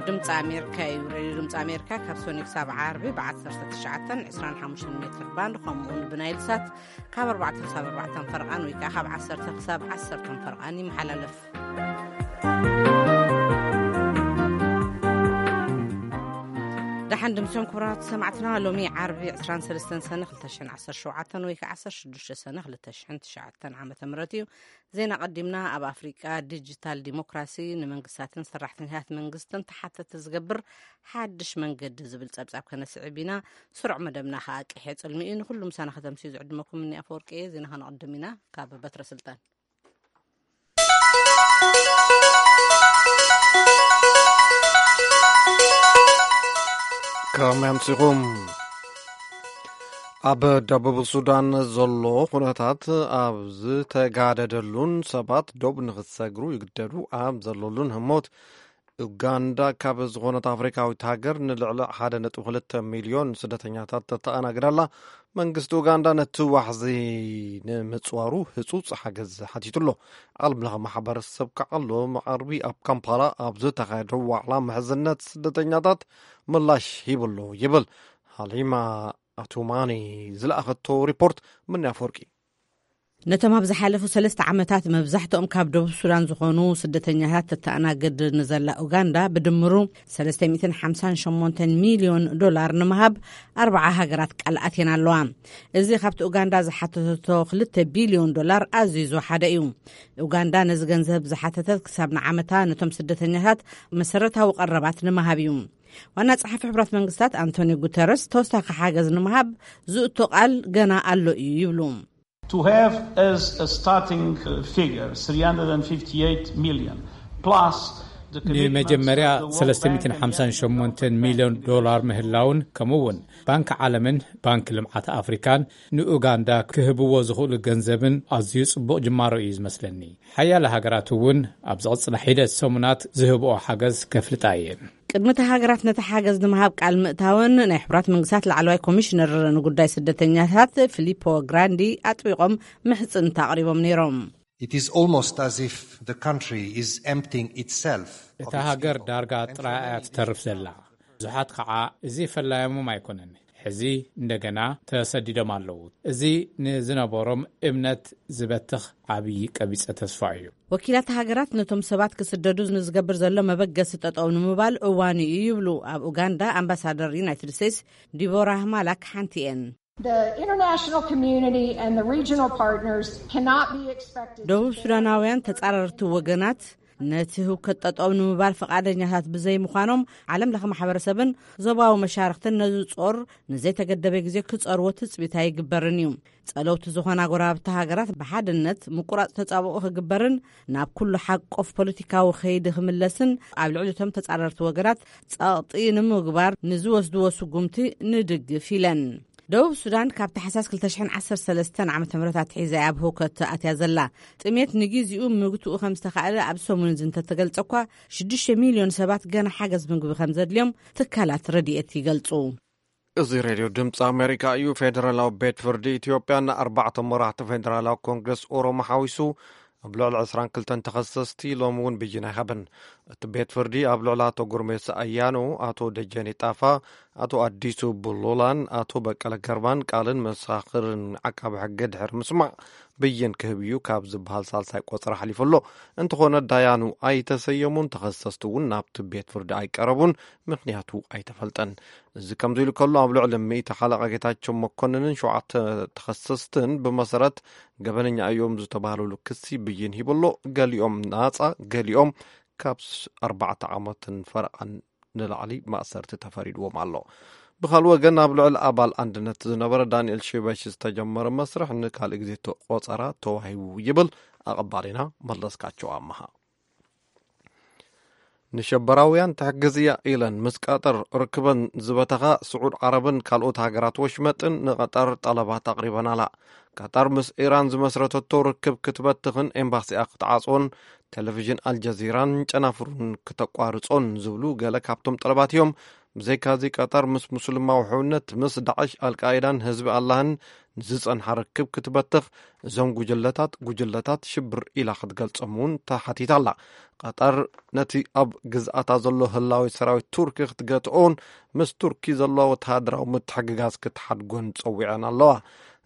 ድምፂ ኣሜሪካ እዩ። ሬድዮ ድምፂ ኣሜሪካ ካብ ሰኑይ ክሳብ ዓርቢ ብ19፣ 25 ሜትር ባንድ፣ ከምኡ እውን ብናይል ሳት ካብ 4 ክሳብ 4 ፈርቓን ወይ ከዓ ካብ 10 ክሳብ 10 ፈርቓን ይመሓላለፍ። ደሓን ድምፅዮም ክቡራት ሰማዕትና፣ ሎሚ ዓርቢ 23 ሰነ 2017 ወይ ከዓ 16 ሰነ 2009 ዓመተ ምህረት እዩ። ዜና ቀዲምና። ኣብ ኣፍሪቃ ዲጂታል ዲሞክራሲ ንመንግስታትን ሰራሕተኛታት መንግስትን ተሓተቲ ዝገብር ሓድሽ መንገዲ ዝብል ጸብጻብ ከነስዕብ ኢና። ስሩዕ መደብና ከኣ ቅሔ ጽልሚ እዩ። ንኹሉ ምሳና ከተምስዩ ዝዕድመኩም እኒ ኣፈወርቂ እየ። ዜና ከነቐድም ኢና። ካብ በትረ ስልጣን። ከመይ ኣምሲኹም? ኣብ ደቡብ ሱዳን ዘሎ ኩነታት ኣብ ዝተጋደደሉን ሰባት ዶብ ንኽሰግሩ ይግደዱ ኣብ ዘለሉን ህሞት፣ ኡጋንዳ ካብ ዝኾነት ኣፍሪካዊት ሃገር ንልዕሊ 1.2 ሚልዮን ስደተኛታት ተተኣናግድ ኣላ። መንግስቲ ኡጋንዳ ነቲ ዋሕዚ ንምጽዋሩ ህጹጽ ሓገዝ ሓቲቱ ኣሎ። ዓለም ለኸ ማሕበረሰብ ከዓ ሎሚ ዓርቢ ኣብ ካምፓላ ኣብ ዝተኻየደ ዋዕላ ምሕዝነት ስደተኛታት ምላሽ ሂቡ ኣሎ ይብል። ሃሊማ ኣቱማኒ ዝለኣኸቶ ሪፖርት። ምንያ ኣፈወርቂ። ነቶም ኣብ ዝሓለፉ ሰለስተ ዓመታት መብዛሕትኦም ካብ ደቡብ ሱዳን ዝኾኑ ስደተኛታት ተተኣናግድ ንዘላ ኡጋንዳ፣ ብድምሩ 358 ሚልዮን ዶላር ንምሃብ ኣርባዓ ሃገራት ቃል ኣትየን ኣለዋ። እዚ ካብቲ ኡጋንዳ ዝሓተተቶ 2 ቢልዮን ዶላር ኣዝዩ ዝወሓደ እዩ። ኡጋንዳ ነዚ ገንዘብ ዝሓተተት ክሳብ ንዓመታ ነቶም ስደተኛታት መሰረታዊ ቀረባት ንምሃብ እዩ። ዋና ጸሓፊ ሕቡራት መንግስታት ኣንቶኒዮ ጉተረስ ተወሳኺ ሓገዝ ንምሃብ ዝእቶ ቃል ገና ኣሎ እዩ ይብሉ። To have as a starting, uh, figure, 358 million, plus the commitments ንመጀመርያ of the World Bank and the 358 ሚልዮን ዶላር ምህላውን፣ ከምኡ እውን ባንክ ዓለምን ባንክ ልምዓት ኣፍሪካን ንኡጋንዳ ክህብዎ ዝኽእሉ ገንዘብን ኣዝዩ ጽቡቕ ጅማሮ እዩ ዝመስለኒ። ሓያለ ሃገራት እውን ኣብ ዝቕጽላ ሒደት ሰሙናት ዝህብኦ ሓገዝ ከፍልጣ እየን። ቅድሚ እቲ ሃገራት ነቲ ሓገዝ ንምሃብ ቃል ምእታወን፣ ናይ ሕቡራት መንግስታት ላዕለዋይ ኮሚሽነር ንጉዳይ ስደተኛታት ፊሊፖ ግራንዲ ኣጥቢቖም ምሕጽንታ ኣቕሪቦም ነይሮም። It is almost as if the country is emptying itself of እታ its ሃገር people. ዳርጋ ጥራይ እያ ትተርፍ ዘላ። ብዙሓት ከዓ እዚ ፈላዮሞም ኣይኮነን። ሕዚ እንደገና ተሰዲዶም ኣለዉ። እዚ ንዝነበሮም እምነት ዝበትኽ ዓብዪ ቀቢጸ ተስፋ እዩ። ወኪላት ሃገራት ነቶም ሰባት ክስደዱ ንዝገብር ዘሎ መበገሲ ጠጠው ንምባል እዋኑ እዩ ይብሉ ኣብ ኡጋንዳ ኣምባሳደር ዩናይትድ ስቴትስ ዲቦራ ማላክ ሓንቲ እየን። The international community and the regional partners cannot be expected to ደቡብ ሱዳናውያን ተጻረርቲ ወገናት ነቲ ህውከት ጠጠው ንምባል ፈቓደኛታት ብዘይምዃኖም፣ ዓለም ለኸ ማሕበረሰብን ዞባዊ መሻርኽትን ነዚ ጾር ንዘይተገደበ ግዜ ክጸርዎ ትጽቢት ኣይግበርን እዩ። ጸለውቲ ዝኾና ጎረባብቲ ሃገራት ብሓድነት ምቁራጽ ተጻብኦ ክግበርን ናብ ኩሉ ሓቆፍ ፖለቲካዊ ከይዲ ክምለስን ኣብ ልዕሊ እቶም ተጻረርቲ ወገናት ጸቕጢ ንምግባር ንዝወስድዎ ስጉምቲ ንድግፍ ኢለን። ደቡብ ሱዳን ካብ ታሕሳስ 2013 ዓ.ም ኣትሒዛ እያ ኣብ ህውከት ኣትያ ዘላ። ጥሜት ንግዜኡ ምግትኡ ከም ዝተኻእለ ኣብ ሰሙን እዚ እንተተገልጸ እኳ፣ 6 ሚልዮን ሰባት ገና ሓገዝ ምግቢ ከም ዘድልዮም ትካላት ረድኤት ይገልጹ። እዚ ሬድዮ ድምፂ ኣሜሪካ እዩ። ፌደራላዊ ቤት ፍርዲ ኢትዮጵያ ንኣርባዕተ መራሕቲ ፌደራላዊ ኮንግረስ ኦሮሞ ሓዊሱ ኣብ ልዕሊ 22 ተኸሰስቲ ሎሚ እውን ብይን ኣይሃበን። እቲ ቤት ፍርዲ ኣብ ልዕሊ ኣቶ ጉርሜሳ ኣያኖ፣ ኣቶ ደጀኔ ጣፋ፣ ኣቶ ኣዲሱ ቡሉላን ኣቶ በቀለ ገርባን ቃልን መሳኽርን ዓቃቢ ሕጊ ድሕሪ ምስማዕ ብይን ክህብ እዩ ካብ ዝበሃል ሳልሳይ ቆጸራ ሓሊፉ ኣሎ። እንተኾነ ዳያኑ ኣይተሰየሙን፣ ተኸሰስቲ እውን ናብቲ ቤት ፍርዲ ኣይቀረቡን፣ ምኽንያቱ ኣይተፈልጠን። እዚ ከምዚ ኢሉ ከሎ፣ ኣብ ልዕሊ ሚእቲ ሓለቓ ጌታቸው መኮንንን ሸውዓተ ተኸሰስትን ብመሰረት ገበነኛ እዮም ዝተባህሉሉ ክሲ ብይን ሂቡ ኣሎ። ገሊኦም ናጻ፣ ገሊኦም ካብ ስ-፣ ኣርባዕተ ዓመትን ፈረቓን ንላዕሊ ማእሰርቲ ተፈሪድዎም ኣሎ። ብኻልእ ወገን፣ ኣብ ልዕሊ ኣባል ኣንድነት ዝነበረ ዳንኤል ሽበሽ ዝተጀመረ መስርሕ ንካልእ ግዜ ተ-፣ ቆጸራ ተዋሂቡ ይብል ኣቐባሊና መለስካቸው ኣመሃ። ንሸበራውያን ትሕግዝ እያ ኢለን ምስ ቀጠር ርክበን ዝበተኻ ስዑድ ዓረብን ካልኦት ሃገራት ወሽመጥን ንቐጠር ጠለባት ኣቕሪበናላ። ቀጠር ምስ ኢራን ዝመስረተቶ ርክብ ክትበትኽን ኤምባሲኣ ክትዓጽዎን ቴሌቪዥን ኣልጀዚራን ጨናፍሩን ክተቋርጾን ዝብሉ ገለ ካብቶም ጠለባት እዮም። ብዘይካዚ ቀጠር ምስ ሙስልማዊ ሕውነት፣ ምስ ዳዕሽ፣ ኣልቃይዳን ህዝቢ ኣላህን ንዝጸንሓ ርክብ ክትበትኽ እዞም ጉጅለታት፣ ጉጅለታት ሽብር ኢላ ክትገልጾም እውን ተሓቲታ ኣላ። ቀጠር ነቲ ኣብ ግዝኣታ ዘሎ ህላዊ ሰራዊት ቱርኪ ክትገትኦን ምስ ቱርኪ ዘሎ ወተሃደራዊ ምትሕግጋዝ ክትሓድጎን ጸዊዐን ኣለዋ።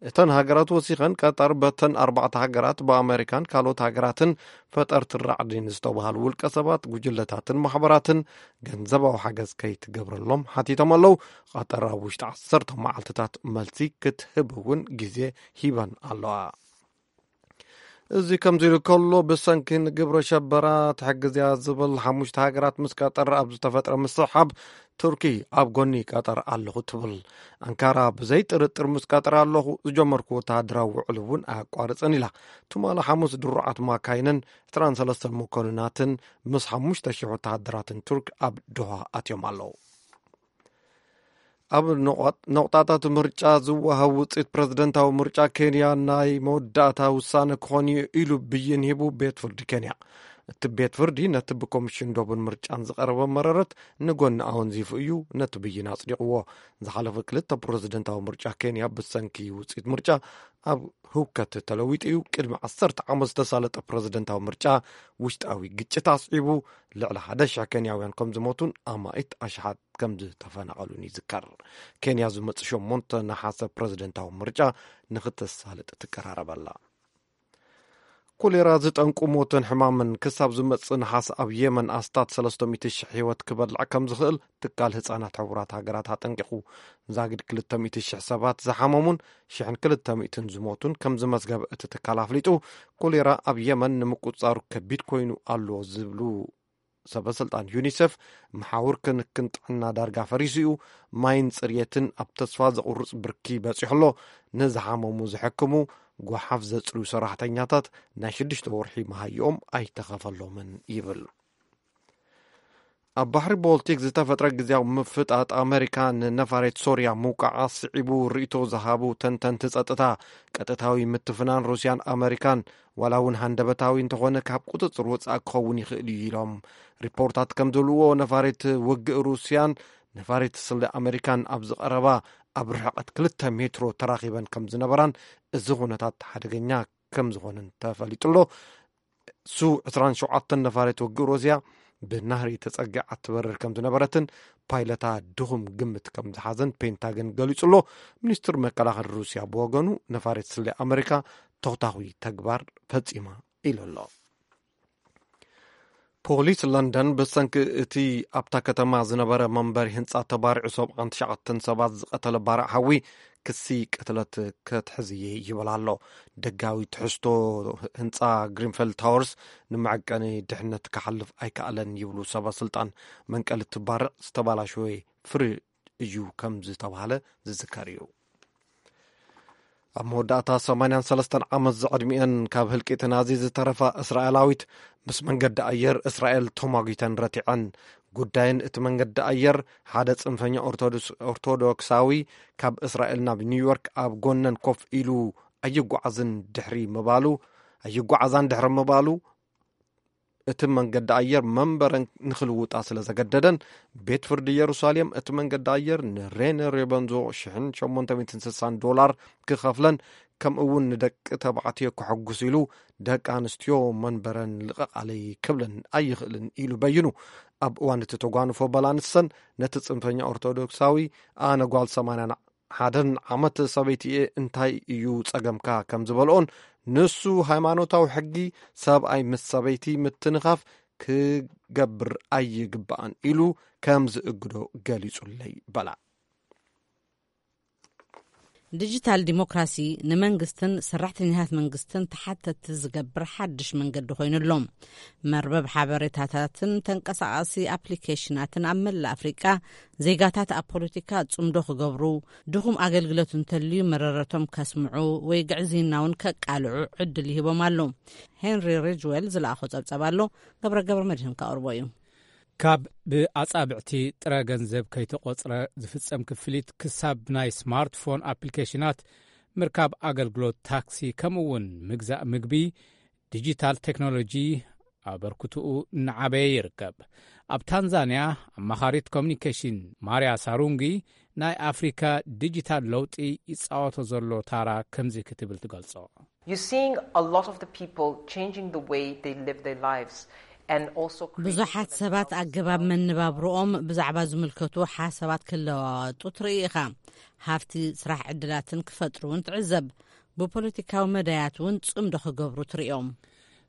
እተን ሃገራት ወሲኸን፣ ቀጠር በተን ኣርባዕተ ሃገራት፣ ብኣመሪካን ካልኦት ሃገራትን ፈጠርቲ ራዕዲን ዝተባሃሉ ውልቀ ሰባት፣ ጉጅለታትን ማሕበራትን ገንዘባዊ ሓገዝ ከይትገብረሎም ሓቲቶም ኣለዉ። ቀጠር ኣብ ውሽጢ ዓሰርተ መዓልትታት መልሲ ክትህብ እውን ግዜ ሂበን ኣለዋ። እዚ ከምዚ ኢሉ ከሎ፣ ብሰንኪ ንግብረ ሸበራ ትሕግዝ እያ ዝብል ሓሙሽተ ሃገራት ምስ ቀጠር ኣብ ዝተፈጥረ ምስሕሓብ፣ ቱርኪ ኣብ ጎኒ ቀጠር ኣለኹ ትብል። ኣንካራ ብዘይ ጥርጥር ምስ ቀጠር ኣለኹ፣ ዝጀመርኩ ወተሃደራዊ ውዕል እውን ኣያቋርጽን ኢላ። ትማሊ ሓሙስ ድሩዓት ማካይንን ዕስራን ሰለስተን መኮንናትን ምስ ሓሙሽተ ሽሕ ወተሃደራትን ቱርክ ኣብ ዶሃ ኣትዮም ኣለዉ። ኣብ ነቑጣ-፣ ነቑጣታት ምርጫ ዝወሃብ ውፅኢት ፕረዚደንታዊ ምርጫ ኬንያ ናይ መወዳእታ ውሳነ ክኾን እዩ ኢሉ ብይን ሂቡ ቤት ፍርዲ ኬንያ። እቲ ቤት ፍርዲ ነቲ ብኮሚሽን ዶብን ምርጫን ዝቐረበ መረረት ንጎኒ ኣወንዚፉ እዩ ነቲ ብይን ኣጽዲቕዎ። ዝሓለፈ ክልተ ፕረዚደንታዊ ምርጫ ኬንያ ብሰንኪ ውፅኢት ምርጫ ኣብ ህውከት ተለዊጡ እዩ። ቅድሚ ዓሰርተ ዓመት ዝተሳለጠ ፕረዚደንታዊ ምርጫ ውሽጣዊ ግጭት ኣስዒቡ ልዕሊ ሓደ ሽሕ ኬንያውያን ከም ዝሞቱን ኣማኢት ኣሽሓት ከም ዝተፈናቐሉን ይዝከር። ኬንያ ዝመጽእ ሸሞንተ ነሓሰ ፕረዚደንታዊ ምርጫ ንኽተሳልጥ ትቀራረብ ኣላ። ኮሌራ ዝጠንቁ ሞትን ሕማምን ክሳብ ዝመጽእ ነሓስ ኣብ የመን ኣስታት ሰለስተ ሚእቲ ሽሕ ህይወት ክበልዕ ከም ዝኽእል ትካል ህጻናት ሕቡራት ሃገራት ኣጠንቂቑ። ዛጊድ ክልተ ሚእቲ ሽሕ ሰባት ዝሓመሙን ሽሕን ክልተ ሚእትን ዝሞቱን ከም ዝመዝገበ እቲ ትካል ኣፍሊጡ። ኮሌራ ኣብ የመን ንምቁጽጻሩ ከቢድ ኮይኑ ኣሎ ዝብሉ ሰበ ስልጣን ዩኒሴፍ፣ መሓውር ክንክን ጥዕና ዳርጋ ፈሪሱ እዩ። ማይን ጽርየትን ኣብ ተስፋ ዘቑርጽ ብርኪ በጺሑ ኣሎ። ንዝሓመሙ ዝሕክሙ፣ ጓሓፍ ዘጽርዩ ሰራሕተኛታት ናይ ሽዱሽተ ወርሒ መሃይኦም ኣይተኸፈሎምን ይብል። ኣብ ባሕሪ ቦልቲክ ዝተፈጥረ ግዜያዊ ምፍጣጥ ኣመሪካ ንነፋሬት ሶርያ ምውቃዓ ስዒቡ ርእይቶ ዝሃቡ ተንተንቲ ጸጥታ፣ ቀጥታዊ ምትፍናን ሩስያን ኣመሪካን ዋላ እውን ሃንደበታዊ እንተኾነ ካብ ቁጽጽር ወጻኢ ክኸውን ይኽእል እዩ ኢሎም። ሪፖርታት ከም ዝብልዎ ነፋሬት ውግእ ሩስያን ነፋሬት ስለ ኣመሪካን ኣብ ዝቐረባ ኣብ ርሕቀት ክልተ ሜትሮ ተራኺበን ከም ዝነበራን እዚ ኩነታት ሓደገኛ ከም ዝኾነን ተፈሊጡ ኣሎ። ሱ ዕስራን ሸውዓተን ነፋሪት ውግእ ሩስያ ብናህሪ ተጸጊዓ ትበርር ከም ዝነበረትን ፓይለታ ድኹም ግምት ከም ዝሓዘን ፔንታገን ገሊጹ ኣሎ። ሚኒስትር መከላኸሊ ሩስያ ብወገኑ ነፋሪት ስለ ኣመሪካ ተኹታኹይ ተግባር ፈጺማ ኢሉ ኣሎ። ፖሊስ ለንደን ብሰንኪ እቲ ኣብታ ከተማ ዝነበረ መንበሪ ህንጻ ተባሪዑ ሰብዓን ትሽዓተን ሰባት ዝቐተለ ባርዕ ሓዊ ክሲ ቅትለት ክትሕዝ እየ ይብል ኣሎ። ደጋዊ ትሕዝቶ ህንጻ ግሪንፌልድ ታወርስ ንመዐቀኒ ድሕነት ክሓልፍ ኣይከኣለን ይብሉ ሰበ ስልጣን። መንቀሊ እቲ ባርዕ ዝተባላሸወ ፍሪ እዩ ከም ዝተባህለ ዝዝከር እዩ። ኣብ መወዳእታ ሰማንያን ሰለስተን ዓመት ዝዕድሚአን ካብ ህልቂት ናዚ ዝተረፋ እስራኤላዊት ምስ መንገዲ ኣየር እስራኤል ተሟጊተን ረቲዐን። ጉዳይን እቲ መንገዲ ኣየር ሓደ ጽንፈኛ ኦርቶዶክስ-፣ ኦርቶዶክሳዊ ካብ እስራኤል ናብ ኒውዮርክ ኣብ ጎነን ኮፍ ኢሉ ኣይጓዓዝን ድሕሪ ምባሉ፣ ኣይጓዓዛን ድሕሪ ምባሉ፣ እቲ መንገዲ ኣየር መንበረን ንኽልውጣ ስለ ዘገደደን፣ ቤት ፍርዲ ኢየሩሳሌም እቲ መንገዲ ኣየር ንሬነ ሬበንዞ ሽሕን ሸሞንተ ሚእትን ስሳን ዶላር ክኸፍለን፣ ከምኡ እውን ንደቂ ተባዕትዮ ከሐጉስ ኢሉ ደቂ ኣንስትዮ መንበረን ልቐቓለይ ክብለን ኣይኽእልን ኢሉ በይኑ። ኣብ እዋን እቲ ተጓንፎ በላ ንሰን ነቲ ጽንፈኛ ኦርቶዶክሳዊ ኣነ ጓል ሰማንያን ሓደን ዓመት ሰበይቲ እየ እንታይ እዩ ጸገምካ ከም ዝበልኦን ንሱ ሃይማኖታዊ ሕጊ ሰብኣይ ምስ ሰበይቲ ምትንኻፍ ክገብር ኣይግባእን ኢሉ ከም ዝእግዶ ገሊጹለይ በላ። ዲጂታል ዲሞክራሲ ንመንግስትን ሰራሕተኛታት መንግስትን ተሓተቲ ዝገብር ሓድሽ መንገዲ ኮይኑ ኣሎ። መርበብ ሓበሬታታትን ተንቀሳቓሲ ኣፕሊኬሽናትን ኣብ መላእ ኣፍሪቃ ዜጋታት ኣብ ፖለቲካ ጽምዶ ክገብሩ፣ ድኹም ኣገልግሎት እንተልዩ መረረቶም ከስምዑ ወይ ግዕዝይና እውን ከቃልዑ ዕድል ይህቦም ኣሎ። ሄንሪ ሪጅዌል ዝለኣኾ ጸብጸብ ኣሎ። ገብረ ገብረ መድህን ከቕርቦ እዩ። ካብ ብኣጻብዕቲ ጥረ ገንዘብ ከይተቖጽረ ዝፍጸም ክፍሊት ክሳብ ናይ ስማርትፎን ኣፕሊኬሽናት ምርካብ ኣገልግሎት ታክሲ ከምኡ እውን ምግዛእ ምግቢ ዲጂታል ቴክኖሎጂ ኣበርክትኡ እናዓበየ ይርከብ። ኣብ ታንዛንያ ኣማኻሪት ኮሚኒኬሽን ማርያ ሳሩንጊ፣ ናይ ኣፍሪካ ዲጂታል ለውጢ ይጻወቶ ዘሎ ታራ ከምዚ ክትብል ትገልጾ። You're seeing a lot of the people changing the way they live their lives and also creating ብዙሓት ሰባት ኣገባብ መነባብሮኦም ብዛዕባ ዝምልከቱ ሓሳባት ክለዋወጡ ትርኢ ኢኻ። ሃፍቲ፣ ስራሕ ዕድላትን ክፈጥሩ እውን ትዕዘብ። ብፖለቲካዊ መዳያት እውን ጽምዶ ክገብሩ ትርእዮም።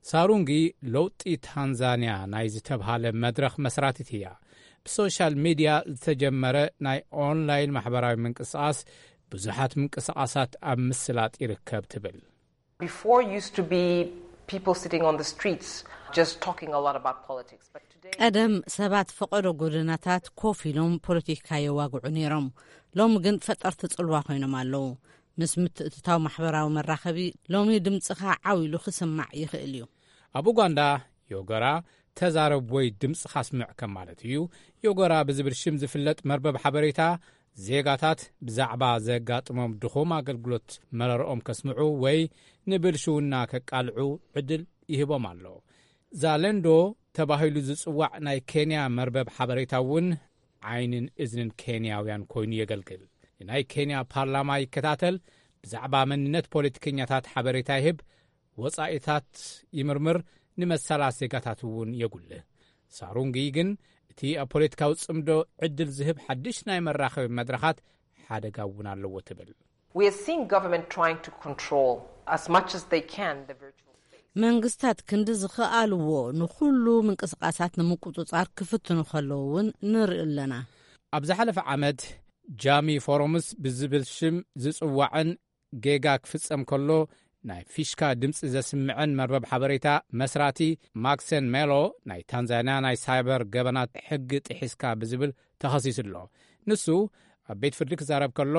ሳሩንጊ ለውጢ ታንዛንያ ናይ ዝተብሃለ መድረኽ መስራቲት እያ። ብሶሻል ሚድያ ዝተጀመረ ናይ ኦንላይን ማሕበራዊ ምንቅስቓስ ብዙሓት ምንቅስቓሳት ኣብ ምስላጥ ይርከብ ትብል። Before used to be people sitting on the streets just talking a lot about politics, but today ቀደም ሰባት ፈቐዶ ጎደናታት ኮፍ ኢሎም ፖለቲካ የዋግዑ ነይሮም። ሎሚ ግን ፈጠርቲ ጽልዋ ኮይኖም ኣለዉ። ምስ ምትእትታው ማሕበራዊ መራኸቢ ሎሚ ድምጽኻ ዓው ኢሉ ክስማዕ ይኽእል እዩ። ኣብ ኡጋንዳ ዮገራ ተዛረብ ወይ ድምጽኻ ስምዕ ከም ማለት እዩ። ዮገራ ብዝብል ሽም ዝፍለጥ መርበብ ሓበሬታ ዜጋታት ብዛዕባ ዘጋጥሞም ድኹም ኣገልግሎት መረርኦም ከስምዑ ወይ ንብልሽውና ከቃልዑ ዕድል ይህቦም ኣሎ። ዛለንዶ ተባሂሉ ዝጽዋዕ ናይ ኬንያ መርበብ ሓበሬታ እውን ዓይንን እዝንን ኬንያውያን ኮይኑ የገልግል። ንናይ ኬንያ ፓርላማ ይከታተል፣ ብዛዕባ መንነት ፖለቲከኛታት ሓበሬታ ይህብ፣ ወጻኢታት ይምርምር፣ ንመሰላት ዜጋታት እውን የጉልህ። ሳሩንጊ ግን እቲ ኣብ ፖለቲካዊ ጽምዶ ዕድል ዝህብ ሓድሽ ናይ መራኸቢ መድረኻት ሓደጋ እውን ኣለዎ ትብል። We are seeing government trying to control as much as they can the virtual space. መንግስታት ክንዲ ዝኽኣልዎ ንኹሉ ምንቅስቓሳት ንምቁጽጻር ክፍትኑ ከለዉ እውን ንርኢ ኣለና። ኣብ ዝሓለፈ ዓመት ጃሚ ፎረምስ ብዝብል ሽም ዝጽዋዕን ጌጋ ክፍጸም ከሎ ናይ ፊሽካ ድምጺ ዘስምዐን መርበብ ሓበሬታ መስራቲ ማክሰን ሜሎ ናይ ታንዛንያ ናይ ሳይበር ገበናት ሕጊ ጥሒስካ ብዝብል ተኸሲሱ ኣሎ። ንሱ ኣብ ቤት ፍርዲ ክዛረብ ከሎ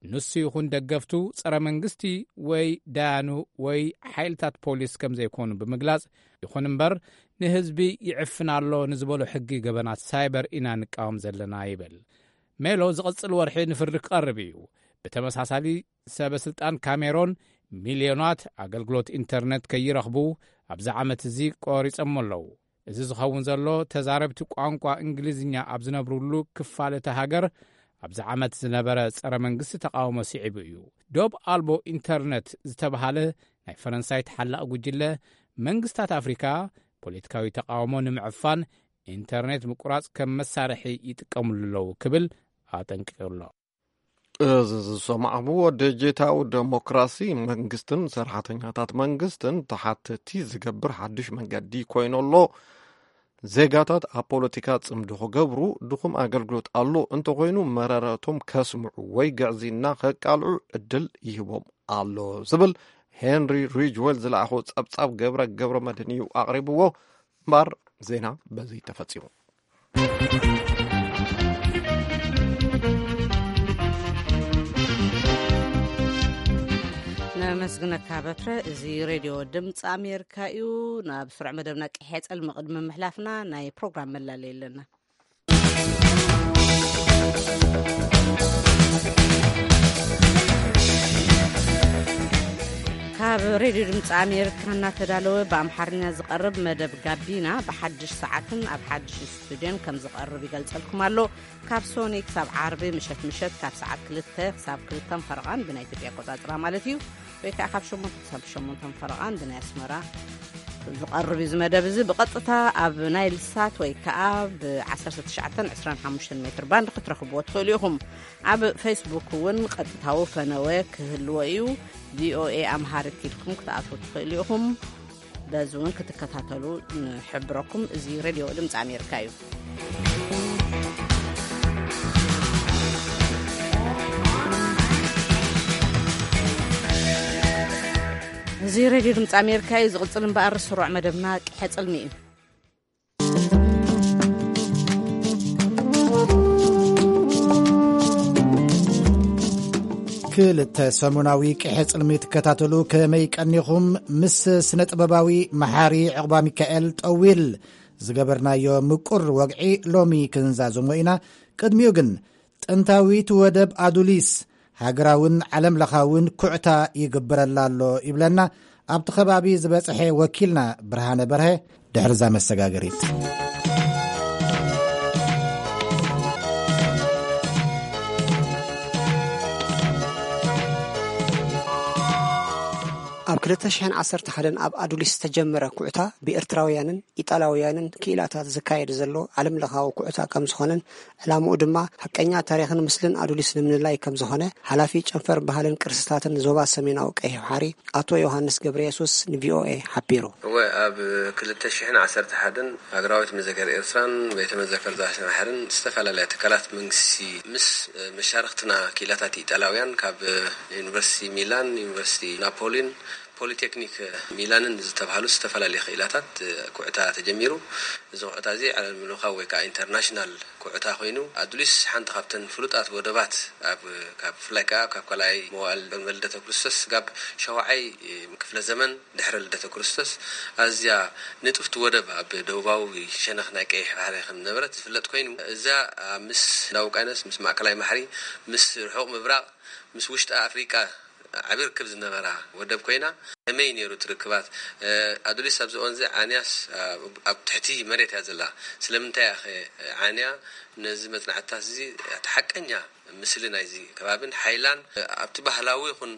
ንሱ ይኹን ደገፍቱ ጸረ መንግስቲ ወይ ዳያኑ ወይ ሓይልታት ፖሊስ ከም ዘይኮኑ ብምግላጽ፣ ይኹን እምበር ንህዝቢ ይዕፍን ኣሎ ንዝበሎ ሕጊ ገበናት ሳይበር ኢና ንቃወም ዘለና ይብል። ሜሎ ዝቕጽል ወርሒ ንፍርዲ ክቐርብ እዩ። ብተመሳሳሊ ሰበ ስልጣን ካሜሮን ሚልዮናት ኣገልግሎት ኢንተርነት ከይረኽቡ ኣብዚ ዓመት እዚ ቆሪጾም ኣለዉ። እዚ ዝኸውን ዘሎ ተዛረብቲ ቋንቋ እንግሊዝኛ ኣብ ዝነብሩሉ ክፋል እታ ሃገር ኣብዚ ዓመት ዝነበረ ጸረ መንግስቲ ተቃውሞ ስዒቡ እዩ። ዶብ ኣልቦ ኢንተርነት ዝተባሃለ ናይ ፈረንሳይ ተሓላቒ ጉጅለ መንግስታት ኣፍሪካ ፖለቲካዊ ተቃውሞ ንምዕፋን ኢንተርኔት ምቁራጽ ከም መሳርሒ ይጥቀምሉ ኣለዉ ክብል ኣጠንቂቑ ኣሎ። እዚ ዝሰማዕኹምዎ ዲጂታዊ ዴሞክራሲ መንግስትን ሰራሕተኛታት መንግስትን ተሓተቲ ዝገብር ሓድሽ መንገዲ ኮይኑ ኣሎ። ዜጋታት ኣብ ፖለቲካ ጽምዶ ክገብሩ ድኹም ኣገልግሎት ኣሎ እንተኾይኑ መረረቶም ከስምዑ ወይ ግዕዝይና ከቃልዑ ዕድል ይህቦም ኣሎ ዝብል ሄንሪ ሪጅዌል ዝለኣኾ ጸብጻብ ገብረ ገብረ መድህን እዩ ኣቕሪብዎ። እምበር ዜና በዚ ተፈጺሙ። ነመስግነካ በትረ። እዚ ሬድዮ ድምፂ ኣሜሪካ እዩ። ናብ ስሩዕ መደብና ቅሐ ጸልሚ ቅድሚ ምሕላፍና ናይ ፕሮግራም መላለይ ኣለና። ካብ ሬድዮ ድምፂ ኣሜሪካ እናተዳለወ ብኣምሓርኛ ዝቐርብ መደብ ጋቢና ብሓድሽ ሰዓትን ኣብ ሓድሽ ስቱድዮን ከም ዝቐርብ ይገልጸልኩም ኣሎ። ካብ ሶኒ ክሳብ ዓርቢ ምሸት ምሸት ካብ ሰዓት ክልተ ክሳብ ክልተን ፈረቓን ብናይ ኢትዮጵያ ኣቆጻጽራ ማለት እዩ፣ ወይ ከዓ ካብ ሸሞንተ ክሳብ ሸሞንተን ፈረቓን ብናይ ኣስመራ ዝቐርብ እዩ። እዚ መደብ እዚ ብቐጥታ ኣብ ናይል ሳት ወይ ከዓ ብ ዓሰርተ ትሽዓተ ዕስራን ሓሙሽተን ሜትር ባንድ ክትረኽብዎ ትኽእሉ ኢኹም። ኣብ ፌስቡክ እውን ቀጥታዊ ፈነወ ክህልዎ እዩ። ቪኦኤ ኣምሃሪክ ኢልኩም ክትኣትዉ ትኽእሉ ኢኹም። በዚ እውን ክትከታተሉ ንሕብረኩም። እዚ ሬድዮ ድምፂ ኣሜሪካ እዩ። እዚ ሬድዮ ድምፂ ኣሜሪካ እዩ። ዝቕፅል እምበኣር ስሩዕ መደብና ቅሐ ጽልሚ እዩ። ክልተ ሰሙናዊ ቅሐ ጽልሚ ትከታተሉ ከመይ ቀኒኹም? ምስ ስነ ጥበባዊ መሓሪ ዕቑባ ሚካኤል ጠዊል ዝገበርናዮ ምቁር ወግዒ ሎሚ ክንዛዝሞ ኢና። ቅድሚኡ ግን ጥንታዊት ወደብ ኣዱሊስ ሃገራውን ዓለም ለኻውን ኩዕታ ይግብረላ ኣሎ ይብለና። ኣብቲ ከባቢ ዝበጽሐ ወኪልና ብርሃነ በርሀ ድሕርዛ መሰጋገሪት። ኣብ ክልተ ሽሕን ዓሰርተ ሓደን ኣብ ኣዱሊስ ዝተጀመረ ኩዕታ ብኤርትራውያንን ኢጣልያውያንን ክኢላታት ዝካየድ ዘሎ ዓለምለኻዊ ኩዕታ ከም ዝኾነን ዕላምኡ ድማ ሓቀኛ ታሪኽን ምስልን ኣዱሊስ ንምልላይ ከም ዝኾነ ሓላፊ ጨንፈር ባህልን ቅርስታትን ዞባ ሰሜናዊ ቀይሕ ባሕሪ ኣቶ ዮሃንስ ገብረየሱስ ንቪኦኤ ሓቢሩ። እወ፣ ኣብ ክልተ ሽሕን ዓሰርተ ሓደን ሃገራዊት መዘከር ኤርትራን ቤተ መዘከር ዛስና ሕርን ዝተፈላለያ ትካላት መንግስቲ ምስ መሻርኽትና ክኢላታት ኢጣልያውያን ካብ ዩኒቨርሲቲ ሚላን፣ ዩኒቨርሲቲ ናፖሊን፣ ፖሊቴክኒክ ሚላንን ዝተባህሉ ዝተፈላለዩ ክኢላታት ኩዕታ ተጀሚሩ። እዚ ኩዕታ እዚ ዓለም ለኻዊ ወይ ከዓ ኢንተርናሽናል ኩዕታ ኮይኑ፣ ኣዱሊስ ሓንቲ ካብተን ፍሉጣት ወደባት ኣብ፣ ካብ፣ ብፍላይ ከዓ ካብ ካልኣይ መዋእል ቅድመ ልደተ ክርስቶስ ስጋብ ሻውዓይ ክፍለ ዘመን ድሕሪ ልደተ ክርስቶስ ኣዝያ ንጥፍቲ ወደብ ኣብ ደቡባዊ ሸነኽ ናይ ቀይሕ ባሕሪ ከም ዝነበረት ዝፍለጥ ኮይኑ፣ እዛ ምስ ህንዳዊ ውቅያኖስ፣ ምስ ማእከላይ ባሕሪ፣ ምስ ርሑቕ ምብራቕ፣ ምስ ውሽጢ ኣፍሪቃ ዓቢ ርክብ ዝነበራ ወደብ ኮይና፣ ከመይ ነይሩ እቲ ርክባት? ኣዱሊስ ኣብዚ እዋን እዚ ዓንያስ ኣብ ትሕቲ መሬት እያ ዘላ። ስለምንታይ እያ ኸ ዓንያ ነዚ መጽናዕትታት እዚ እቲ ሓቀኛ ምስሊ ናይዚ ከባብን ሓይላን ኣብቲ ባህላዊ ይኹን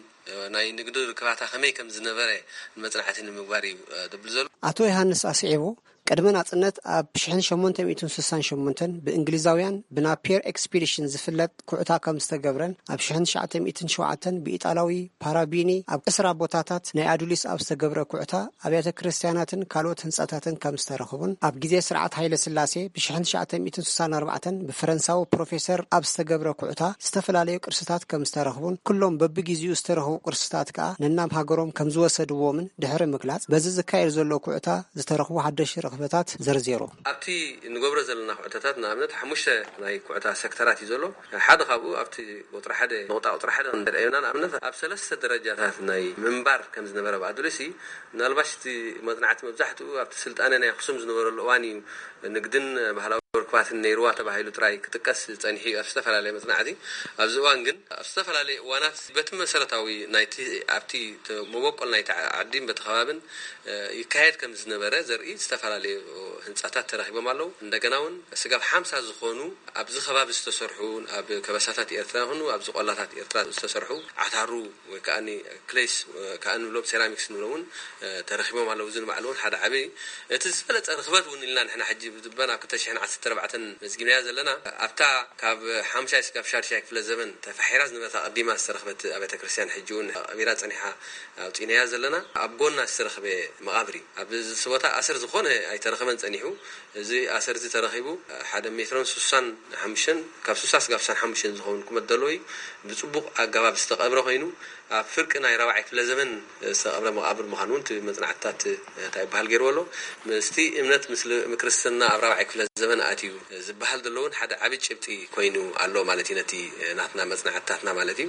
ናይ ንግዲ ርክባታ ከመይ ከም ዝነበረ ንመጽናዕቲ ንምግባር እዩ ደብል ዘሎ። ኣቶ ዮሃንስ ኣስዒቡ፣ ቅድሚ ናጽነት ኣብ ሽሕን ሸሞንተ ሚእትን ስሳን ሸሞንተን ብእንግሊዛውያን ብናፒየር ኤክስፒዲሽን ዝፍለጥ ኩዕታ ከም ዝተገብረን ኣብ ሽሕን ትሽዓተ ሚእትን ሸውዓተን ብኢጣላዊ ፓራቢኒ ኣብ ዕስራ ቦታታት ናይ ኣዱሊስ ኣብ ዝተገብረ ኩዕታ ኣብያተ ክርስትያናትን ካልኦት ህንጻታትን ከም ዝተረኽቡን ኣብ ግዜ ስርዓት ሃይለ ስላሴ ብሽሕን ትሽዓተ ሚእትን ስሳን ኣርባዕተን ብፈረንሳዊ ፕሮፌሰር ኣብ ዝተገብረ ኩዕታ ዝተፈላለዩ ቅርስታት ከም ዝተረኽቡን ኩሎም በብግዜኡ ዝተረኽቡ ቅርስታት ከኣ ነናብ ሃገሮም ከም ዝወሰድዎምን ድሕሪ ምግላጽ በዚ ዝካየድ ዘሎ ኩዕታ ዝተረኽቡ ሓደሽቲ ረኽበታት ዘርዚሩ። ኣብቲ ንገብሮ ዘለና ኩዕታታት ንኣብነት ሓሙሽተ ናይ ኩዕታ ሴክተራት እዩ ዘሎ። ሓደ ካብኡ ኣብቲ ቁጽሪ ሓደ፣ ነቑጣ ቁጽሪ ሓደ ክንደርአዮና፣ ንኣብነት ኣብ ሰለስተ ደረጃታት ናይ ምንባር ከም ዝነበረ ብኣድለሲ፣ ምናልባሽ እቲ መጽናዕቲ መብዛሕትኡ ኣብቲ ስልጣነ ናይ ኣኽሱም ዝነበረሉ እዋን እዩ። ንግድን ባህላዊ ርክባትን ነይርዋ ተባሂሉ ጥራይ ክጥቀስ ጸኒሑ እዩ ኣብ ዝተፈላለየ መጽናዕቲ። ኣብዚ እዋን ግን ኣብ ዝተፈላለየ እዋናት በቲ መሰረታዊ ናይቲ፣ ኣብቲ ተ-፣ መበቆል ናይቲ ዓዲን በቲ ከባብን፣ እ፣ ይካየድ ከም ዝነበረ ዘርኢ ዝተፈላለዩ ህንጻታት ተረኺቦም ኣለዉ። እንደገና እውን ስጋብ ሓምሳ ዝኾኑ ኣብዚ ከባቢ ዝተሰርሑ፣ ኣብ ከበሳታት ኤርትራ ይኹኑ ኣብዚ ቆላታት ኤርትራ ዝተሰርሑ ዓታሩ ወይ ከኣ ክሌስ፣ እ፣ ከኣ ንብሎም ሴራሚክስ ንብሎም እውን፣ እ፣ ተረኺቦም ኣለዉ። እዚ ንባዕሉ እውን ሓደ ዓቢ፣ እቲ ዝበለጸ ርኽበት እውን ኢልና ንሕና ሕጂ ብዝበን ኣብ ክልተ ሽሕን ዓሰርተ ኣርባዕተን መዝጊብናያ ዘለና፣ ኣብታ ካብ ሓምሻይ ስጋብ ሻድሻይ ክፍለ ዘመን ተፋሒራ ዝነበረት ኣቐዲማ ዝተረኽበት ኣብያተ ክርስቲያን ሕጂ እውን ቀቢራ ጸኒሓ ኣውጺእናያ ዘለና። ኣብ ጎና ዝተረኽበ መቓብር እዩ። ኣብዚ ቦታ ኣሰር ዝኾነ ኣይተረኸበን ጸኒሑ። እዚ ኣሰር እዚ ተረኺቡ ሓደ ሜትሮን ስሳን ሓሙሽተን፣ ካብ ስሳ ስጋብ ስሳን ሓሙሽተን ዝኸውን ቁመት ዘለዎ እዩ። ብጽቡቕ ኣገባብ ዝተቐብረ ኮይኑ፣ ኣብ ፍርቂ ናይ ራብዓይ ክፍለ ዘመን ዝተቐብረ መቓብር ምዃኑ እውን እቲ መጽናዕትታት እንታይ ይበሃል ገይርዎ ኣሎ። ምስቲ እምነት ምስ ል-፣ ክርስትና ኣብ ራብዓይ ክፍለ ዘመን ኣትዩ ዝበሃል ዘሎ እውን ሓደ ዓቢ ጭብጢ ኮይኑ ኣሎ ማለት እዩ፣ ነቲ ናትና መጽናዕትታትና ማለት እዩ።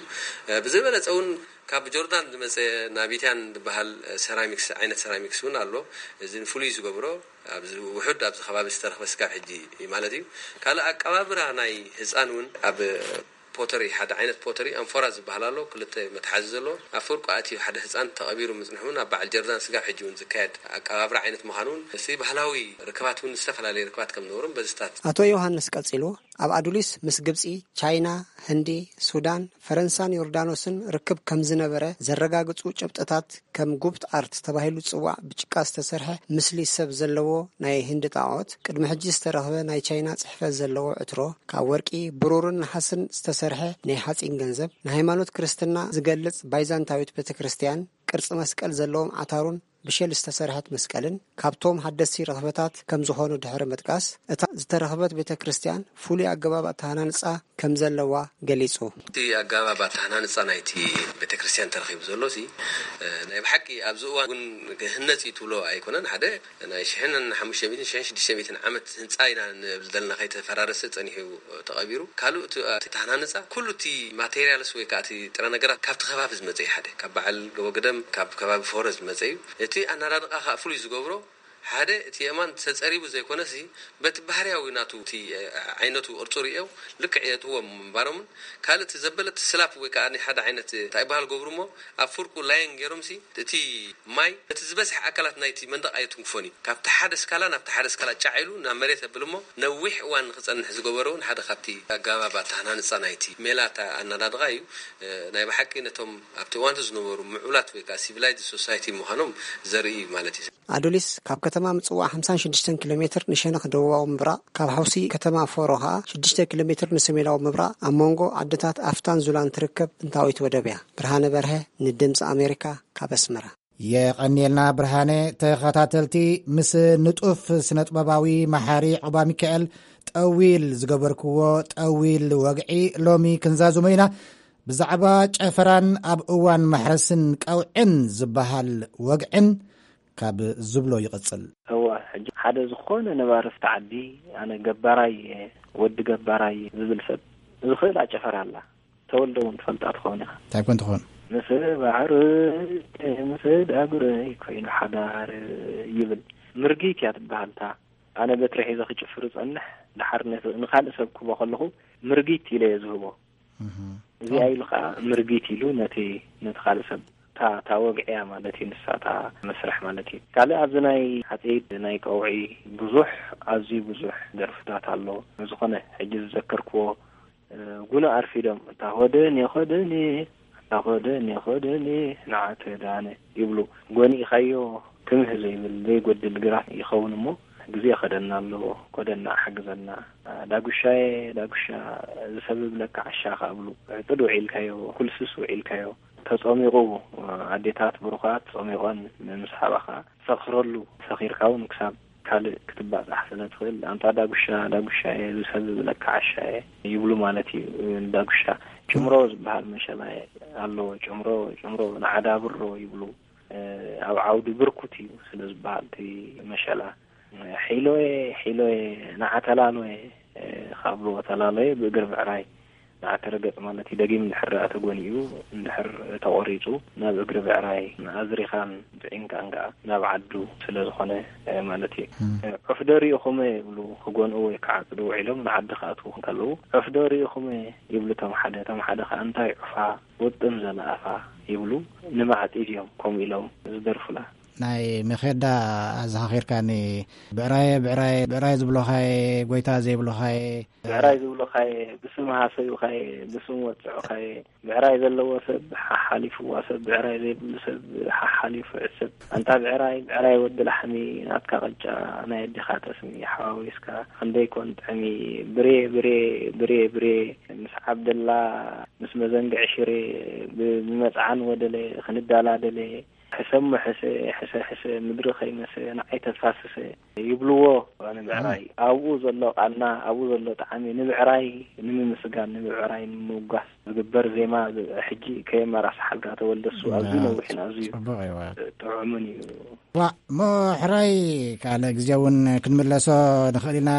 ብዝበለጸ እውን ካብ ጆርዳን ዝመጸ ናቢትያን ዝበሃል ሰራሚክስ፣ ዓይነት ሰራሚክስ እውን ኣሎ። እዚ ፍሉይ ዝገብሮ ኣብዚ ውሑድ ኣብዚ ከባቢ ዝተረኽበ ስጋብ ሕጂ እዩ ማለት እዩ። ካልእ ኣቀባብራ ናይ ህጻን እውን ኣብ ፖተሪ፣ ሓደ ዓይነት ፖተሪ ኣንፎራ ዝበሃል ኣሎ፣ ክልተ መትሓዚ ዘለዎ። ኣብ ፍርቁ ኣትዩ ሓደ ህጻን ተቐቢሩ ምጽንሑ እውን ኣብ በዓል ጀርዳን ስጋብ ሕጂ እውን ዝካየድ ኣቀባብራ ዓይነት ምዃኑ እውን፣ እቲ ባህላዊ ርክባት እውን ዝተፈላለየ ርክባት ከም ዝነበሮም በዝታት። ኣቶ ዮሃንስ ቀጺሉ፣ ኣብ ኣዱሊስ ምስ ግብጺ፣ ቻይና፣ ህንዲ፣ ሱዳን፣ ፈረንሳን ዮርዳኖስን ርክብ ከም ዝነበረ ዘረጋግጹ ጭብጥታት ከም ጉብት ኣርት ተባሂሉ ዝጽዋዕ ብጭቃ ዝተሰርሐ ምስሊ ሰብ ዘለዎ ናይ ህንዲ ጣዖት፣ ቅድሚ ሕጂ ዝተረኽበ ናይ ቻይና ጽሕፈት ዘለዎ ዕትሮ፣ ካብ ወርቂ፣ ብሩርን ነሓስን ዝተሰርሐ ናይ ሓጺን ገንዘብ፣ ንሃይማኖት ክርስትና ዝገልጽ ባይዛንታዊት ቤተ ክርስቲያን ቅርጺ መስቀል ዘለዎም ዓታሩን ብሸል ዝተሰርሐት መስቀልን ካብቶም ሓደስቲ ረኽበታት ከም ዝኾኑ ድሕሪ ምጥቃስ፣ እታ ዝተረኽበት ቤተ ክርስቲያን ፍሉይ ኣገባብ ኣተሃናንጻ ከም ዘለዋ ገሊጹ። እቲ ኣገባብ ኣተሃናንጻ ናይቲ ቤተ ክርስቲያን ተረኺቡ ዘሎ ሲ፣ እ፣ ናይ ብሓቂ ኣብዚ እዋን እውን ክህነጽ እዩ ትብሎ ኣይኮነን። ሓደ ናይ ሽሕን ሓሙሽተ ሚእትን ሽሕን ሽዱሽተ ሚእትን ዓመት ህንጻ ኢና ንብል ዘለና፣ ከይተፈራረሰ ጸኒሑ ተቐቢሩ። ካልእ እቲ፣ እቲ ኣተሃናንጻ ኩሉ እቲ ማቴሪያልስ ወይ ከዓ እቲ ጥረ ነገራት ካብቲ ከባቢ ዝመጸ እዩ። ሓደ ካብ በዓል ገቦ ግደም፣ ካብ ከባቢ ፎረ ዝመጸ እዩ። እቲ ኣናዳድቓ ከዓ ፍሉይ ዝገብሮ ሓደ እቲ የማን ተጸሪቡ ዘይኮነሲ፣ በቲ ባህርያዊ ናቱ እቲ ዓይነቱ ቅርጹ ርእየው ልክዕ የእትዎም ምንባሮምን፣ ካልእ እቲ ዘበለት ስላፕ ወይ ከኣ ሓደ ዓይነት እንታይ ይበሃል ገብሩ እሞ፣ ኣብ ፍርቁ ላየን ገይሮምሲ እቲ ማይ እቲ ዝበዝሐ ኣካላት ናይቲ መንደቕ ኣይትንክፎን እዩ። ካብቲ ሓደ ስካላ ናብቲ ሓደ ስካላ ጫዕ ኢሉ ናብ መሬት የብል እሞ፣ ነዊሕ እዋን ንክጸንሕ ዝገበረ እውን ሓደ ካብቲ ኣገባብ ኣተሃናንጻ ናይቲ ሜላ ኣናዳድቓ እዩ። ናይ ብሓቂ ነቶም ኣብቲ እዋንቲ ዝነበሩ ምዑላት ወይ ከዓ ሲቪላይዝድ ሶሳይቲ ምዃኖም ዘርኢ እዩ ማለት እዩ። ኣዱሊስ ካብ ከተማ ምጽዋዕ ሓምሳን ሽዱሽተን ኪሎ ሜትር ንሸነኽ ደቡባዊ ምብራቕ፣ ካብ ሓውሲ ከተማ ፎሮ ኸኣ ሽዱሽተ ኪሎ ሜትር ንሰሜናዊ ምብራቕ፣ ኣብ መንጎ ዓድታት ኣፍታን ዙላን ትርከብ ጥንታዊት ወደብ እያ። ብርሃነ በርሀ፣ ንድምጺ ኣሜሪካ፣ ካብ ኣስመራ። የቐንየልና ብርሃነ። ተኸታተልቲ፣ ምስ ንጡፍ ስነጥበባዊ መሓሪ ዑባ ሚካኤል ጠዊል ዝገበርክዎ ጠዊል ወግዒ ሎሚ ክንዛዝሞ ኢና። ብዛዕባ ጨፈራን ኣብ እዋን ማሕረስን ቀውዕን ዝበሃል ወግዕን ካብ ዝብሎ ይቕጽል። እወ፣ ሕጂ ሓደ ዝኾነ ነባሪ ኣብቲ ዓዲ፣ ኣነ ገባራይ እየ፣ ወዲ ገባራይ እየ ዝብል ሰብ፣ ዝኽእል ኣጨፈራ ኣላ። ተወልደ እውን ትፈልጣ ትኸውን ኢኻ። እንታይ ኮን ትኾን? "ምስ ባዕሩ ምስ ዳጉረይ ኮይኑ ሓዳር" ይብል። ምርጊት እያ ትበሃል እታ። ኣነ በትሪ ሒዘ ክጭፍር እጸንሕ፣ ደሓር ነቲ ንኻልእ ሰብ ክህቦ ከለኹ ምርጊት ኢለ እየ ዝህቦ። እህ። እዚኣ ኢሉ ኸኣ ምርጊት ኢሉ ነቲ፣ ነቲ ካልእ ሰብ እታ፣ እታ ወግዒ እያ ማለት እዩ፣ ንሳ እታ መስርሕ ማለት እዩ። ካልእ ኣብዚ ናይ ሓጺድ፣ ናይ ቀውዒ ብዙሕ፣ ኣዝዩ ብዙሕ ደርፍታት ኣሎ። ዝኾነ ሕጂ ዝዘከርክዎ፣ እ፣ ጉና ኣርፊዶም፣ እታ ኾደኔ ኾደኔ፣ እታ ኾደኔ ኾደኔ፣ ንዓተ ዳነ ይብሉ። ጎኒእኻዮ ክምህ ዘይብል ዘይጎድል ግራት ይኸውን እሞ፣ ግዜ ኸደና ኣለዎ፣ ኮደና ሓግዘና። ዳጉሻየ፣ ዳጉሻ ዝሰብብ ለካ ዓሻ ኸኣ ብሉ። ዕጽድ ውዒልካዮ፣ ኩልስስ ውዒልካዮ። ተጸሚቑ፣ ኣዴታት ብሩኻት ጸሚቖን ምስ ሓባኻ ሰኽረሉ፣ ሰኺርካ እውን ክሳብ ካልእ ክትባጻሕ ስለ ትኽእል፣ ኣንታ ዳጉሻ፣ ዳጉሻየ ዝሰብብ ለካ ዓሻየ ይብሉ ማለት እዩ። ዳጉሻ ጭምሮ ዝበሃል መሸላ ኣሎ። ጭምሮ፣ ጭምሮ ንዓዳብሮ ይብሉ። ኣብ ዓውዲ ብርኩት እዩ ስለ ዝበሃል እቲ መሸላ። ሒሎየ፣ ሒሎየ፣ ንዓ ተላሎየ፣ ካብ ብዎ ተላሎየ ብእግሪ ብዕራይ ንዓ ተረገጽ ማለት እዩ። ደጊም እንድሕር ደኣ ተጎኒኡ፣ እንድሕር ተቖሪጹ፣ ናብ እግሪ ብዕራይ ኣዝሪኻን ጥዒንካን ከኣ ናብ ዓዱ ስለ ዝኾነ ማለት እዩ። እም። ዑፍ ዶ ርኢኹመ ይብሉ፣ ክጎንኡ ወይ ክዓጽዱ ውዒሎም ንዓዲ ክኣትዉ ከለዉ፣ ዑፍ ዶ ርኢኹመ ይብሉ እቶም ሓደ፣ እቶም ሓደ ከኣ እንታይ ዑፋ ውጥም ዘለኣፋ ይብሉ፣ ንማዕጺድ እዮም ከምኡ ኢሎም ዝደርፉላ። ናይ መኼዳ ኣዘኻኺርካኒ። ብዕራየ፣ ብዕራየ፣ ብዕራይ ዝብሎኻየ፣ ጎይታ ዘይብሎኻየ። ብዕራይ ዝብሎኻየ፣ ብስም ሃሰዩኻየ፣ ብስም ወጽዑኻየ። ብዕራይ ዘለዎ ሰብ ሓሓሊፍዋ ሰብ፣ ብዕራይ ዘይብሉ ሰብ ሓሓሊፉ ዕሰብ። ኣንታ ብዕራይ፣ ብዕራይ ወዲ ላሕሚ፣ ናትካ ቅጫ ናይ ኣዴኻ ጠስሚ ሓዋዊስካ፣ ክንደይ ኮን ጥዕሚ። ብሬ፣ ብሬ፣ ብሬ፣ ብሬ፣ ምስ ዓብደላ፣ ምስ መዘንግዒ ሽሬ፣ ብ-፣ ብመጽዓን ወደለ፣ ክንዳላደለ፣ ሕሰሞ ሕሰ፣ ሕሰ ሕሰ፣ ምድሪ ከይመሰ፣ ንዓይ ተፋስሰ ይብልዎ ንብዕራይ። ኣብኡ ዘሎ ቃና፣ ኣብኡ ዘሎ ጣዕሚ ንብዕራይ ንምምስጋን፣ ንብዕራይ ንምውጋስ ዝግበር ዜማ፣ ሕጂ ከየመራስሓልካ ተወልደ፣ እሱ ኣዝዩ ያ፣ ነዊሕን ኣዝዩ ጽቡቕ እዩ። ጥዑምን እዩ። ዋእ፣ እሞ ሕራይ ካልእ ግዜ እውን ክንምለሶ ንኽእል ኢና።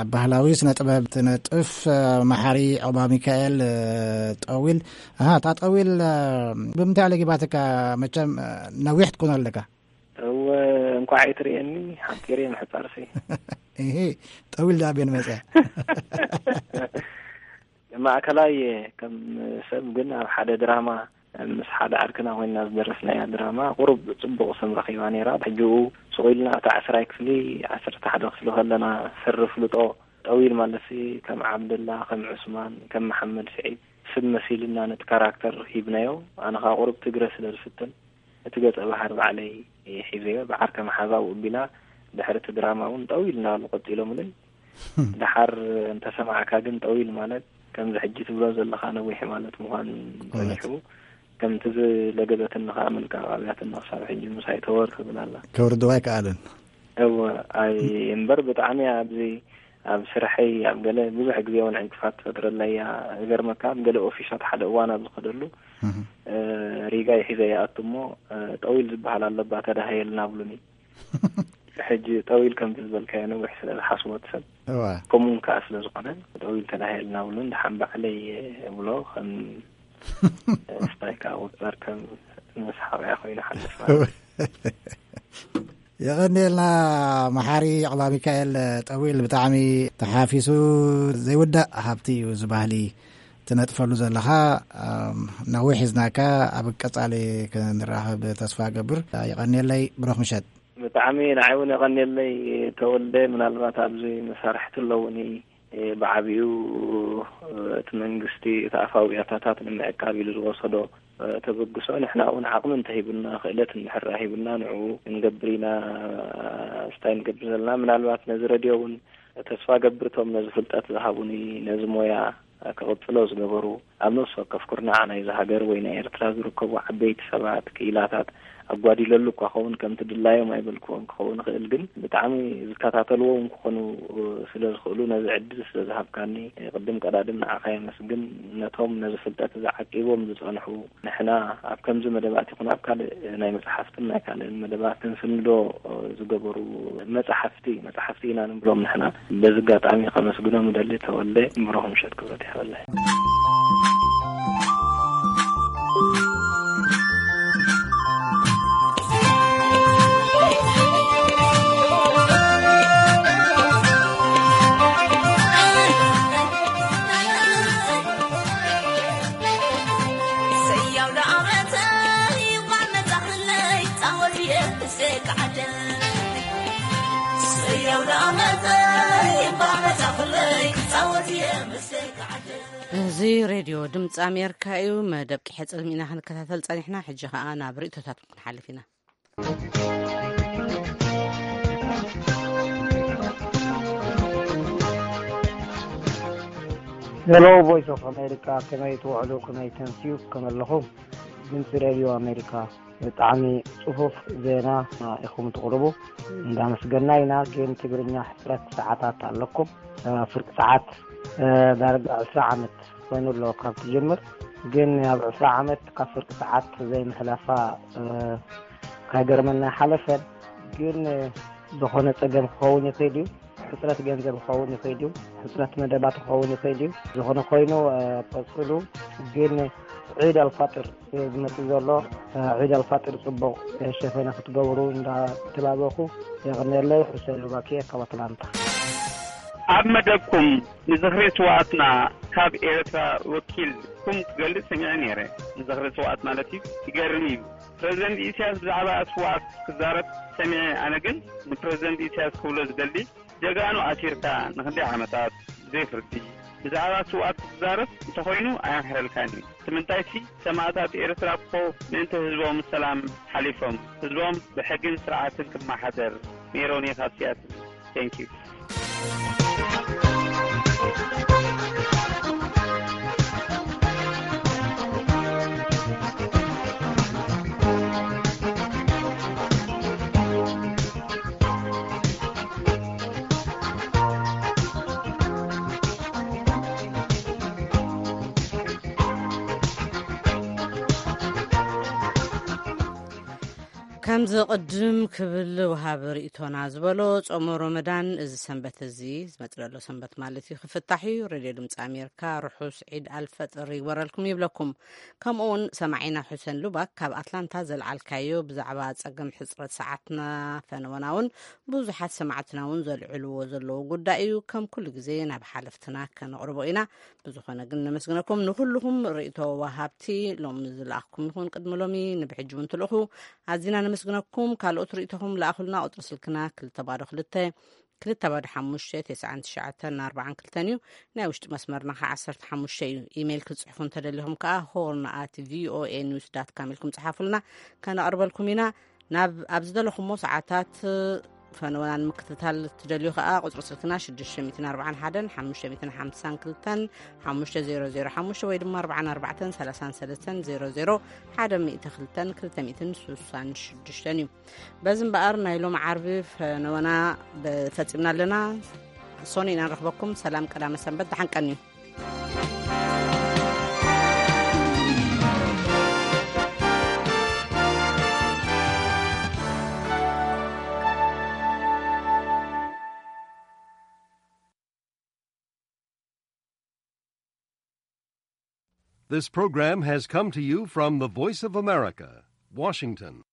ኣብ ባህላዊ ስነ ጥበብ ትነጥፍ መሓሪ ዑቕባ ሚካኤል ጠዊል። ኣሃ፣ እታ ጠዊል ብምንታይ ኣለጊባትካ? መቸም ነዊሕ ትኮን ኣለካ። እወ፣ እንኳዕ ኣይትርእየኒ፣ ሓቂር እየ ምሕጻርሲ። እሂ፣ ጠዊል ደኣ ቤን መጸ። ማእከላይ እየ ከም ሰብ፣ ግን ኣብ ሓደ ድራማ ምስ ሓደ ዓርክና ኮይንና ዝደረስናያ ድራማ ቁሩብ ጽቡቕ ስም ረኺባ ነይራ። ሕጂኡ ስቕ ኢልና እታ ዓስራይ ክፍሊ፣ ዓሰርተ ሓደ ክፍሊ ከለና ሰሪ ፍልጦ ጠዊል ማለትሲ ከም ዓብደላ፣ ከም ዑስማን፣ ከም መሓመድ ስዒድ ስብ መሲልና ነቲ ካራክተር ሂብናዮ። ኣነ ኸኣ ቁሩብ ትግረ ስለ ዝፍትን እቲ ገጸ ባህሪ ባዕለይ ሒዘዮ። ብዓርከ መሓዛው እቢላ ድሕሪ እቲ ድራማ እውን ጠው ኢልና ኣሎ ቀጺሎምለይ። ደሓር እንተሰማዕካ ግን ጠው ኢል ማለት ከምዚ ሕጂ ትብሎ ዘለኻ ነዊሕ ማለት ምዃን እውነት። ጸኒሑ። ከምቲ ዝለገበትኒ ኸኣ ምልቃቕ ኣብያትኒ ክሳብ ሕጂ ምሳይ ተወር ትብል ኣላ። ከውርድዋ ኣይከኣለን። እወ፣ ኣይ እምበር ብጣዕሚ ኣብዚ ኣብ ስርሐይ ኣብ ገለ ብዙሕ ግዜ እውን ዕንቅፋት ትፈጥረለይ እያ። ዝገርመካ ኣብ ገለ ኦፊሳት ሓደ እዋን ኣብ ዝኸደሉ፣ እህ። እ፣ ሪጋ ይሒዘ ይኣቱ እሞ፣ እ፣ ጠዊል ዝበሃል ኣለባ ተዳሃየልና ብሉኒ። ሕጂ ጠዊል ከምቲ ዝበልካዮ ነዊሕ ስለ ዝሓስቦ እቲ ሰብ፣ እዋ። ከምኡ እውን ከኣ ስለ ዝኾነ ጠዊል ተዳሃየልና ብሉን ደሓን ባዕለይ እብሎ ከም ስታይ ከኣ ወጻር ከም መስሓቕያ ኮይኑ ሓልፍ ማለት እዩ። የቐንየልና መሓሪ ዕቕባ ሚካኤል ጠዊል፣ ብጣዕሚ ተሓፊሱ ዘይውዳእ ሃብቲ እዩ እዚ ባህሊ ትነጥፈሉ ዘለኻ። ኣም፣ ነዊሕ ሒዝናካ፣ ኣብ ቀጻሊ ክንራኸብ ተስፋ ገብር። የቐንየለይ፣ ብሩኽ ምሸት። ብጣዕሚ ንዓይ እውን የቐንየለይ ተወልደ። ምናልባት ኣብዚ መሳርሕቲ ኣለውኒ፣ እ፣ ብዓቢኡ፣ እ፣ እቲ መንግስቲ እቲ ኣፋዊ ያታታት ንምዕቃብ ኢሉ ዝወሰዶ፣ እ፣ ተበግሶ፣ ንሕና እውን ዓቕሚ እንተሂቡና፣ ክእለት እንድሕር ሂቡና፣ ንዕኡ ክንገብር ኢና። ስታይ ንገብር ዘለና፣ ምናልባት ነዚ ረድዮ እውን ተስፋ ገብር፣ እቶም ነዚ ፍልጠት ዝሃቡኒ፣ ነዚ ሞያ ክቕጽሎ ዝገበሩ፣ ኣብ ነፍሲ ወከፍ ኩርናዕ ናይዚ ሃገር ወይ ናይ ኤርትራ ዝርከቡ ዓበይቲ ሰባት፣ ክኢላታት፣ ኣጓዲለሉ እኳ ኸውን፣ ከምቲ ድላዮም ኣይበልክዎን ክኸውን ይኽእል፣ ግን ብጣዕሚ ዝከታተልዎ እውን ክኾኑ ስለ ዝኽእሉ፣ ነዚ ዕድል ስለ ዝሃብካኒ፣ ቅድም ቀዳድም ንዓኻ የመስግን። ነቶም ነዚ ፍልጠት እዚ ዓቂቦም ዝጸንሑ፣ ንሕና ኣብ ከምዚ መደባት ይኹን ኣብ ካልእ ናይ መጽሓፍትን ናይ ካልእን መደባት ክንስንዶ ዝገበሩ መጽሓፍቲ፣ መጽሓፍቲ ኢና ንብሎም ንሕና። በዚ ኣጋጣሚ ከመስግኖም እደሊ። ተወልደ፣ ብሩኽ ምሸት ክብረት ይሃበለይ። እዚ ሬድዮ ድምፂ ኣሜሪካ እዩ። መደብ ቂሐ ፅልሚ ኢና ክንከታተል ፀኒሕና። ሕጂ ከዓ ናብ ርእቶታት ክንሓልፍ ኢና። ሄሎ፣ ቮይስ ኦፍ ኣሜሪካ፣ ከመይ ትውዕሉ? ከመይ ተምስዩ? ከመለኹም? ድምፂ ሬድዮ ኣሜሪካ፣ ብጣዕሚ ጽፉፍ ዜና ኢኹም ትቕርቡ፣ እንዳመስገና ኢና። ግን ትግርኛ ሕጽረት ሰዓታት ኣለኩም። እ፣ ፍርቂ ሰዓት፣ እ፣ ዳርጋ ዕስራ ዓመት ኮይኑ ኣሎ ካብ ትጅምር። ግን ኣብ ዕስራ ዓመት ካብ ፍርቂ ሰዓት ዘይምሕላፋ፣ እ፣ ካይገርመና ሓለፈን። ግን፣ እ፣ ዝኾነ ጸገም ክኸውን ይኽእል እዩ። ሕጽረት ገንዘብ ክኸውን ይኽእል እዩ። ሕጽረት መደባት ክኸውን ይኽእል እዩ። ዝኾነ ኮይኑ፣ እ፣ ቀጽሉ። ግን ዒድ ኣልፋጥር ዝመጽእ ዘሎ፣ እ፣ ዒድ ኣልፋጥር ጽቡቕ፣ እ፣ ሸፈነ ክትገብሩ እንዳተላበኹ የቐንየለይ። ሑሰን ሉባኪ ካብ ኣትላንታ። ኣብ መደብኩም ንዝኽሪ ስውኣትና ካብ ኤርትራ ወኪልኩም ክገልጽ ሰሚዐ ነይረ። ንዝኽሪ ስውኣት ማለት እዩ። ይገርም እዩ። ፕረዚደንት ኢሳያስ ብዛዕባ ስውኣት ክዛረብ ሰሚዐ። ኣነ ግን ንፕረዚደንት ኢሳያስ ክብሎ ዝደሊ፣ ጀጋኑ ኣሲርካ ንክንደይ ዓመታት ብዘይ ፍርዲ ብዛዕባ ስውኣት ክትዛረብ እንተኾይኑ ኣየምሕረልካን እዩ። እቲ ምንታይሲ ሰማእታት ኤርትራ እኮ ምእንቲ ህዝቦም ሰላም ሓሊፎም፣ ህዝቦም ብሕግን ስርዓትን ክመሓደር። ሜሮን እየ ካብ ሲያትል። Thank you። ከምዚ ቅድም ክብል ወሃቢ ርእይቶና ዝበሎ፣ ጾመ ሮመዳን እዚ ሰንበት እዚ፣ ዝመጽእ ዘሎ ሰንበት ማለት እዩ፣ ክፍታሕ እዩ። ሬድዮ ድምጺ ኣሜሪካ ርሑስ ዒድ ኣልፈጥር ይግበረልኩም ይብለኩም። ከምኡ እውን ሰማዒና ሑሰን ሉባክ ካብ ኣትላንታ ዘልዓልካዮ ብዛዕባ ጸገም ሕጽረት ሰዓትና ፈነወና እውን ብዙሓት ሰማዕትና እውን ዘልዕልዎ ዘለዉ ጉዳይ እዩ። ከም ኩሉ ግዜ ናብ ሓለፍትና ከነቕርቦ ኢና። ብዝኾነ ግን ነመስግነኩም ንኹልኹም ርእይቶ ወሃብቲ፣ ሎም ዝለኣኽኩም ይኹን ቅድሚ ሎሚ ንብሕጂ እውን ትልእኹ፣ ኣዚና ነመስግነኩም። ካልኦት ርእይቶኹም ለኣኹልና። ቁጽሪ ስልክና ክልተ ባዶ ክልተ፣ ክልተ ባዶ ሓሙሽተ፣ ተስዓን ትሽዓተን ኣርባዓን ክልተን እዩ። ናይ ውሽጢ መስመርና ከዓ ዓሰርተ ሓሙሽተ እዩ። ኢሜይል ክትጽሕፉ እንተደሊኹም ከዓ ሆርን ኣት ቪኦኤ ኒውስ ዳት ካም ኢልኩም ጽሓፉልና፣ ከነቕርበልኩም ኢና። ናብ ኣብ ዝደለኹሞ ሰዓታት ፈነወና ንምክትታል ትደልዩ ከኣ፣ ቁጽሪ ስልክና ሽዱሽተ ሚእትን ኣርባዓን ሓደን ሓሙሽተ ሚእትን ሓምሳን ክልተን ሓሙሽተ ዜሮ ዜሮ ሓሙሽተ ወይ ድማ ኣርባዓን ኣርባዕተን ሰላሳን ሰለስተን ዜሮ ዜሮ ሓደ ሚእቲ ክልተን ክልተ ሚእትን ስሳን ሽዱሽተን እዩ። በዚ እምበኣር፣ ናይ ሎም ዓርቢ ፈነወና በ-፣ ፈጺምና ኣለና። ሶኒ ኢና ንረኽበኩም። ሰላም ቀዳመ ሰንበት፣ ደሓን ቀንዩ። This program has come to you from the Voice of America, Washington.